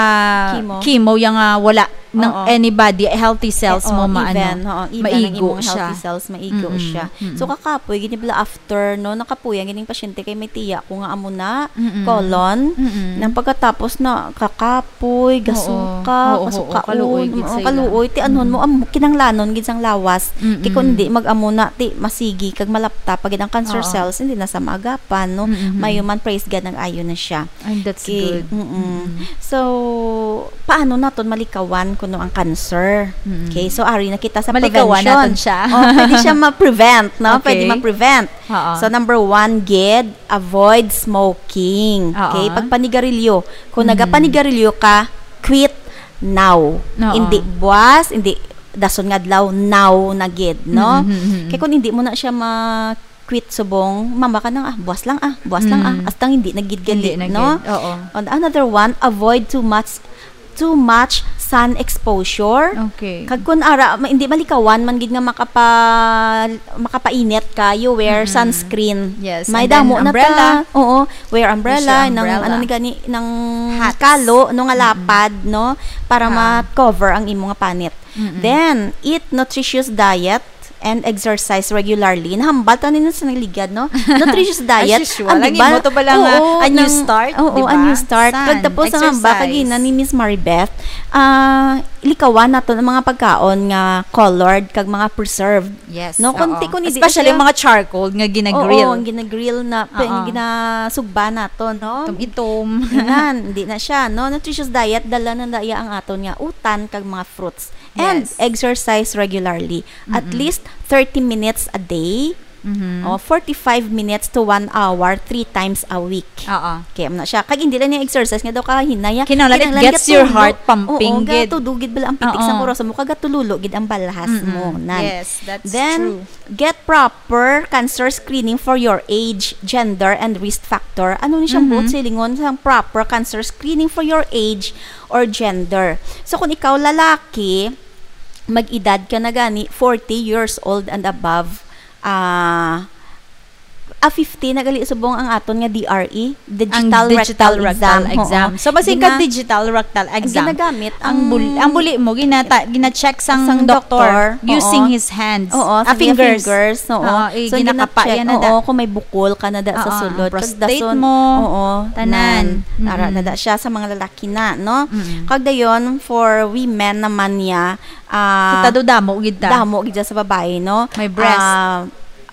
Chemo. chemo, iya nga wala ng Oo. anybody, healthy cells Eh, mo oh, maano, even, oo, even ang maigo imong siya. healthy cells, maigo Mm-mm, siya. mm-mm. So, kakapoy, gini bala after, no, nakapuya, gining pasyente kay may tiya ko nga amo na, Mm-mm. colon, Mm-mm. nang pagkatapos na kakapoy, Oo. gasuka, Oo, oo, kasukaon, kaluoy gid oo, sa ila. kaluoy, ti anhon mo, Mm-mm. am-, kinanglanon gid sang lawas. Kay kung Mm-mm. hindi, mag-amo na, ti masigi, kag malapta pa gid ang cancer Oo. cells, hindi na sa maagapan, no? Mm-mm. May human, praise God, nag-ayo na siya. Ay, that's Okay, good. mm-mm. Mm-mm. So, paano naton malikawan kuno ang cancer? Mm-mm. Okay, so ari na kita sa Malikawan prevention. naton siya. Oh, pwede siya ma-prevent, no? Pwede Okay. ma-prevent. Oo. So, number one, gid, avoid smoking. Oo. Okay, pagpanigarilyo. Kung Mm-hmm. nagapanigarilyo ka, quit now. Oo. Hindi buwas, hindi dason nga adlaw, now na gid, no? Mm-hmm, mm-hmm. Kay kung hindi mo na siya ma quit subong, mama ka nang, ah, buwas lang, ah, buwas lang, ah, Mm. astang hindi na gid Hindi gali, na no? gid, oo. And another one, avoid too much, too much sun exposure. Okay. Kag kun ara, ma-, hindi malikawan man gid nga makapa-, makapainit ka, you wear Mm-mm. sunscreen. Yes, May and then damo na umbrella. ta. Oo, wear Use umbrella, your nang umbrella. ano ni gani, nang Hats. kalo, no, nga Mm-mm. lapad, no, para Ah. ma-cover ang imo nga panit. Mm-mm. Then, eat nutritious diet and exercise regularly. Nahambal ta nino sa nagligad, no? Nutritious diet. As usual. Ang Ang iba, imo to pala nga, oo, a new nang, start, oo, di a ba? new start. San? Pagtapos ang hambal, Exercise. kagina ni Miss Maribeth, ah, likawan naton ang mga pagkaon nga colored kag mga preserved. Yes, No, kung oo. ti-, kung hindi na Especially siya yung mga charcoal nga ginagrill. Oo, ang ginagrill na, pe-, Oo. ginasugba naton, no? Itom-itom. Inan, hindi na siya, no? Nutritious diet, dala na daya ang aton nga utan kag mga fruits. And Yes. exercise regularly. At Mm-mm. least thirty minutes a day. Mm-hmm. O, forty-five minutes to one hour, three times a week. Oo. Okay, amo na siya. Kag hindi lang niya exercise nga daw kahinaya. Kinahanglan it Kinahanglan gets your gatulo. heart pumping Oo, gid. gatudo gid bala ang pitik sa Oo. kurason mo, kag gatulolo gid ang balhas Mm-mm. mo. Nan. Yes, that's Then, true. get proper cancer screening for your age, gender, and risk factor. Ano ni siyang Mm-hmm. buot silingon sang proper cancer screening for your age or gender? So, kung ikaw lalaki, mag-edad ka na gani, forty years old and above, ah, ah, fifty na gali subong ang aton nga D R E, Ang digital digital rectal rectal exam. exam. Oo. So, basin ka Gina-, digital rectal ang exam. ginagamit, Ang ang bul-, ang buli mo, ginata-, gina-check sang sang doktor doktor, using oo. his hands. Oo, Ah, sa iya fingers. fingers, oo. Oo, eh, So, ginakapa gina-check, yan na da. oo, kung may bukol ka na da sa Oo, ang sulod. Kag prostate dason, mo, oo, tanan. nan. Ara Mm-mm. na da siya sa mga lalaki na, no? Mm-mm. Kag dayon, for women naman niya, ah, Kita do damo gid ta. damo gid siya sa babae, no? May breast. Ah,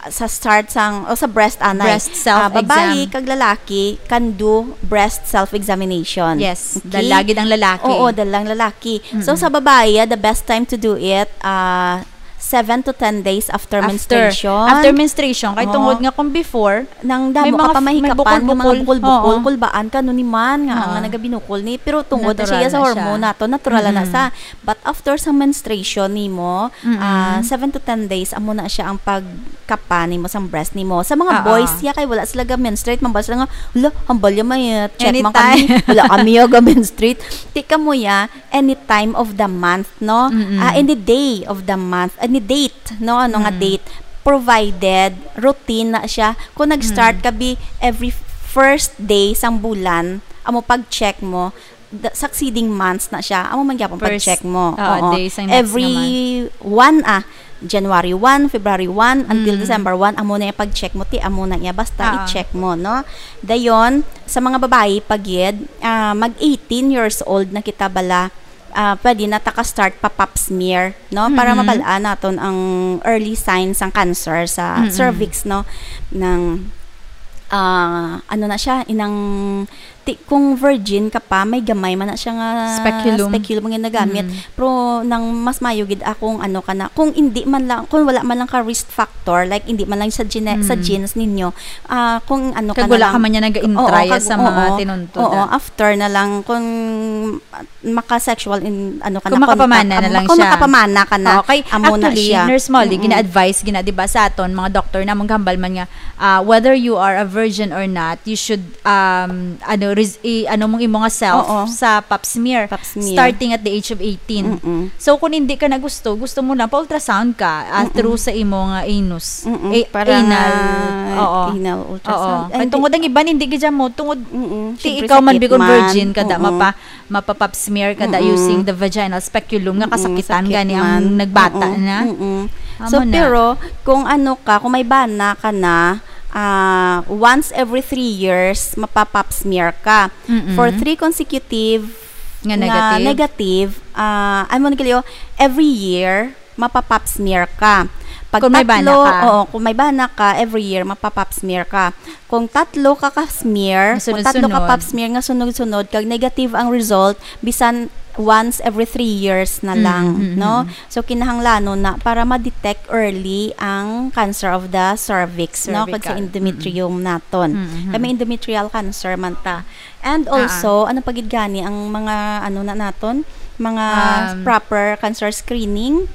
sa start sang, o sa breast, anay. Breast Ah, babae self-exam. kag lalaki can do breast self-examination. Yes, Okay? dala gid ang lalaki. Oo, dala ang lalaki. So, Mm-mm. sa babae, ah, the best time to do it, ah, seven to ten days after After. menstruation. After menstruation. Kay Oo. tungod nga kung before, Nang damo May ka mga pa f-, may mahikapan, nga mga bukol-bukol. bukol-bukol, Oo. kulbaan ka, no, ni man, nga, Oo. nga nagabinukol ni. Pero tungod na Natural siya sa na siya. hormone nato, natural na Mm-mm. sa. But after sa menstruation nimo, Mm-mm. ah, seven to ten days, amo na siya ang pagkapa nimo sang breast nimo. Sa mga Oo. boys, ya, kay wala sila ga-menstruate, mambal sila nga, "Hala, hambal ya may, uh, check man Anytime. kami. Wala kami ya ga-menstruate." Ti kamo ya, any time of the month, no? Mm-mm. Ah, any day of the month, any date, no? Ano nga Mm. date? Provided, routine na siya. Kung nag-start Mm. ka bi every first day sang bulan, amo pag-check mo, the succeeding months na siya. Amo man gyapon First, pag-check mo. oo, Oo. day sang next Every nga month. one, ah, January one, February one, until Mm. December one, amo na yung pag-check mo, ti amo na iya. Basta Oo. i-check mo, no? Dayon, sa mga babae, pag gid, ah, mag eighteen years old na kita bala, ah, pwede na ta ka-start pa pap smear, no? Para Mm-hmm. mabal-an naton ang early signs sang cancer sa Mm-mm. cervix, no? Nang, ah, ano na siya, inang, ti-, kung virgin ka pa, may gamay man na siya nga Speculum. speculum nga ginagamit. Mm. Pero nang mas mayo gid akong ano ka na, kung hindi man lang, kung wala man lang ka risk factor, like, hindi man lang sa gene-, sa Mm. genes ninyo, ah, kung ano ka Kag na wala lang, ka man niya nag-intraya oo, kag, sa mga oo, tinuntod, oo, ah. after na lang, kung maka-sexual in, ano ka Kung na, makapamana contact, na um, lang kung siya. makapamana ka na, Oo, kay amo na actually, siya. Nurse Molly, Mm-mm. gina-advise, gina-, di ba, sa aton, mga doktor na, mong hambal man nga, ah, whether you are a virgin or not, you should, um, ano, res-, i-, ano mong imo nga self Oo. sa pap smear, Pap smear. starting at the age of eighteen. Mm-mm. So, kung hindi ka na gusto, gusto mo lang pa-ultrasound ka, ah, Mm-mm. through sa imo nga anus. Mm-mm. Eh, Para anal. nga Oo. anal ultrasound. Oo. Ay, Kay hindi. tungod ang iban, hindi gid mo, tungod Mm-mm. ti Siyempre, ikaw man, sakit bikon man. virgin ka, da, Oo. mapa-, mapa-pap smear ka, da, Mm-mm. using the vaginal speculum, nga Mm-mm. kasakitan Sakit gani ang man. nagbata Oo. na. Mm-mm. Amo So, na. pero, kung ano ka, kung may bana ka na, ah, once every three years, mapa-pap smear ka. Mm-mm. For three consecutive Nga nga negative? negative, ah, ay, mo nagkaliyo, every year, mapa-pap smear ka. Pag Kung may bana tatlo, ka. oo, kung may bana ka, every year, mapa-pap smear ka. Kung tatlo ka ka-smear, Nga kung tatlo ka sunod-sunod. pap smear nga sunod-sunod, kag negative ang result, bisan once every three years na Mm, lang, mm, no? mm. So, kinahanglanon na para ma-detect early ang cancer of the cervix, no? Kag sa Cervical. endometrium naton. Mm, mm. Kami endometrial cancer man ta. And Ah, ah. also, ano pa gid gani ang mga, ano na naton? Mga Um, proper cancer screening?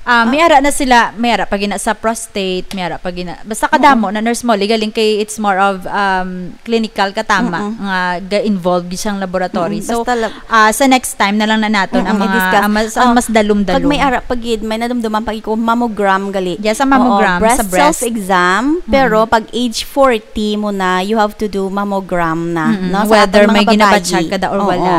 Ah, Ah. may ara na sila, may ara pa gina sa prostate, may ara pa gina, basta kadamo Mm-mm. na, Nurse Molly, galing kay it's more of, um, clinical katama Mm-mm. nga ga-involve gid siyang laboratory. Mm-mm. So, Basta lab- ah, sa next time na lang na naton ang Mm-mm, mga, i-discuss. ang mas, ang Oh, mas dalum-dalum. Kag may ara pa gid, may nadumduman pa gid ko, mammogram gali. Yes, ang Oo, mammogram sa breast breast. self-exam, Mm-mm. pero pag age forty mo na, you have to do mammogram na, Mm-mm. no? Sa Whether aton mga may ginabatsyag babayi. ka da or Oo. wala.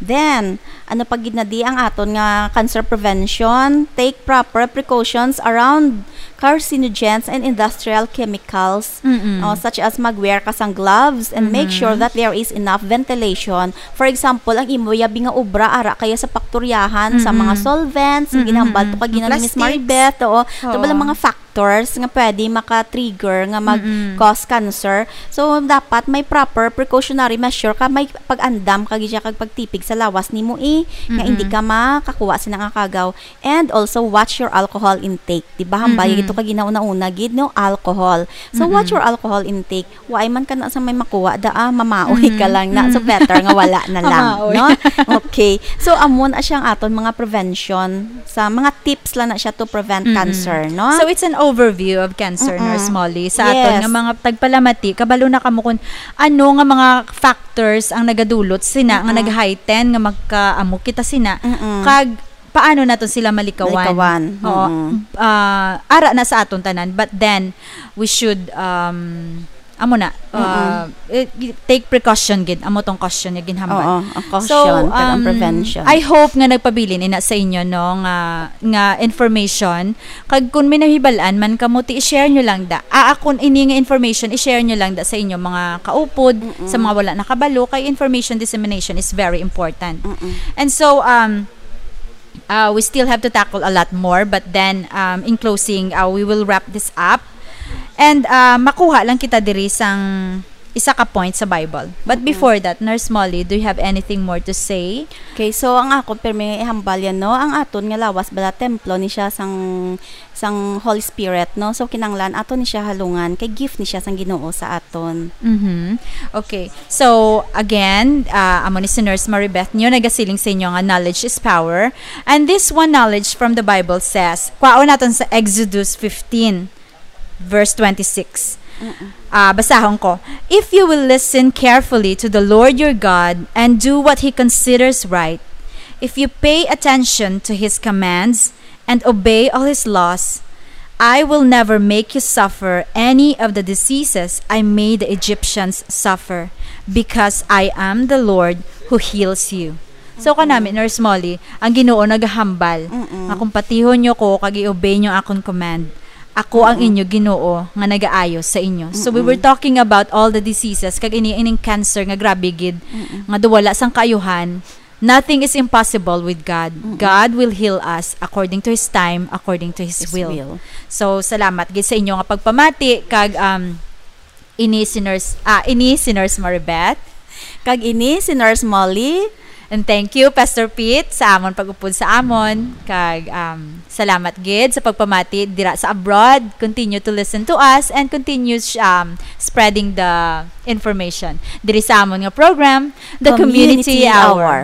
Then, ano pa gid na di ang aton nga cancer prevention? Take proper precautions around carcinogens and industrial chemicals, Mm-mm. uh, such as mag-wear ka sang gloves and make sure Mm-hmm. that there is enough ventilation. For example, ang imo yabi nga obra ara kaya sa paktoryahan sa Mm-mm. mga solvents, ang Mm-mm. ginhambal to kag Ang ginang ni Miss plastics. Maribeth, oo. Ito ba lang Oo. mga factors nga pwede maka-trigger nga Mm-mm. mag-cause cancer? So, dapat may proper precautionary measure ka, may pag-andam ka gid siya kag pagtipig sa lawas nimo, eh, nga hindi Mm-mm. ka makakuha sina nga kagaw. And also, watch your alcohol intake. Di ba, hambal Mm-mm. ito ka ginauna-una gid, no? Alcohol. So, Mm-mm. watch your alcohol intake. Wa ay man ka na sa may makuha, da, ah, mamaoy ka Mm-mm. lang na. So, Mm-mm. better nga wala na lang, Mamaoy. no? Okay. So, amo na siyang aton mga prevention, sa mga tips lang na siya to prevent Mm-mm. cancer, no? So, it's an overview of cancer, Mm-mm. Nurse Molly. Sa aton Yes. nga mga tagpalamati, kabalo na kamo kung ano nga mga factors ang nagadulot sina nga Mm-mm. nag-heighten nga magkaamo kita sina, Mm-mm. kag paano naton sila malikawan. Malikawan. Oo. Mm-mm. Ah, ara na sa aton tanan, but then we should, um, amo na, Mm-mm. uh, eh, take precaution gid. Amo tong caution nga ginhambal. Oo, ang So, caution, kag ang um, prevention. I hope nga nagpabilin ina sa inyo, no, nga, nga information. Kag kung may nahibal-an man kamo, ti i-share nyo lang da. Ah, akon ini nga information, i-share nyo lang da sa inyo mga kaupod, Mm-mm. sa mga wala nakabalo, kay information dissemination is very important. Mm-mm. And so, um, uh, we still have to tackle a lot more, but then, um, in closing, uh, we will wrap this up. And, uh, makuha lang kita diri sang isa ka point sa Bible. But Mm-mm. before that, Nurse Molly, do you have anything more to say? Okay, so ang ako, pirmi ihambal yan, no? Ang aton nga lawas bala templo ni siya sang, sang Holy Spirit, no? So, kinanglan ato ni siya halungan, kay gift ni siya sang Ginoo sa aton. Mhm. Okay. So, again, ah, amo ni si Nurse Maribeth nyo, nagasiling sa inyo nga knowledge is power. And this one knowledge from the Bible says, kwaon naton sa Exodus fifteen, verse twenty-six. Mm-mm. Ah, basahon ko. "If you will listen carefully to the Lord your God and do what he considers right, if you pay attention to his commands and obey all his laws, I will never make you suffer any of the diseases I made the Egyptians suffer, because I am the Lord who heals you." So, Mm-mm. kanami, Nurse Molly, ang Ginoo nagahambal Mm-mm. nga kung patihon nyo ko kag i-obey nyo akon command, ako ang Mm-mm. inyo Ginoo nga nagaayo sa inyo. So, we Mm-mm. were talking about all the diseases, kag ini, ining cancer nga grabe gid, Mm-mm. nga duwala sang kaayuhan. Nothing is impossible with God. Mm-mm. God will heal us according to His time, according to His His will. will. So, salamat gid sa inyo nga pagpamati, kag, um, ini si Nurse, ah, ini si Nurse Maribeth. Kag ini si Nurse Molly. And thank you, Pastor Pete, sa amon pag-upod sa amon. Kag, um, salamat gid sa pagpamati dira sa abroad. Continue to listen to us and continue, um, spreading the information diri sa amon nga program, The Community Community Hour. Hour.